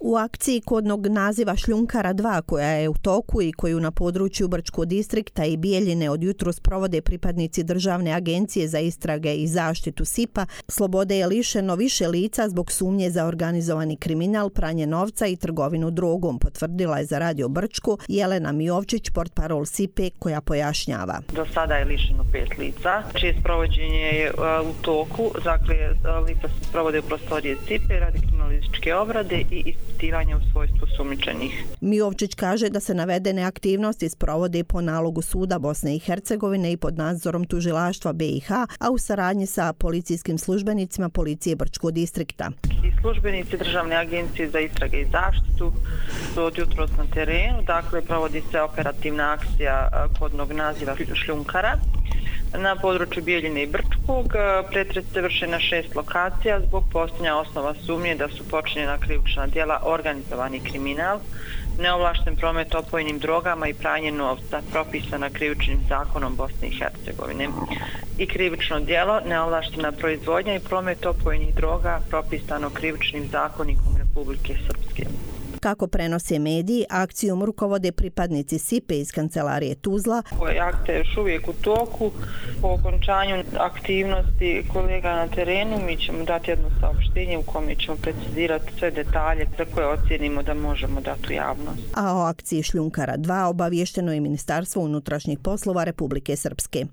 U akciji kodnog naziva Šljunkara 2 koja je u toku i koju na području Brčkog distrikta i Bijeljine od jutros provode pripadnici Državne agencije za istrage i zaštitu SIP-a, slobode je lišeno više lica zbog sumnje za organizovani kriminal, pranje novca i trgovinu drogom, potvrdila je za Radio Brčko Jelena Mijovčić, portparol SIP-e, koja pojašnjava. Do sada je lišeno 5 lica, čije sprovođenje je u toku. Dakle, lica se sprovode u prostorije SIP-e radi kriminalističke obrade i ispitivanja u svojstvu sumnjičenih. Mijovčić kaže da se navedene aktivnosti sprovode po nalogu Suda Bosne i Hercegovine i pod nadzorom tužilaštva BiH, a u saradnji sa policijskim službenicima policije Brčkog distrikta. I službenici Državne agencije za istrage i zaštitu su od jutros na terenu, dakle provodi se operativna akcija kodnog naziva Šljunkara na području Bijeljine i Brčkog. Pretres se vrše na 6 lokacija zbog postojanja osnova sumnje da su počinjena krivična djela organizovani kriminal, neovlašten promet opojnim drogama i pranje novca propisana krivičnim zakonom Bosne i Hercegovine i krivično djelo neovlaštena proizvodnja i promet opojnih droga propisano krivičnim zakonikom Republike Srpske. Kako prenose mediji, akcijom rukovode pripadnici SIP-e iz kancelarije Tuzla. Akcija je još uvijek u toku. Po okončanju aktivnosti kolega na terenu mi ćemo dati jedno saopštenje u kome ćemo precizirati sve detalje za koje ocijenimo da možemo dati u javnost. A o akciji Šljunkara 2 obavješteno je Ministarstvo unutrašnjih poslova Republike Srpske.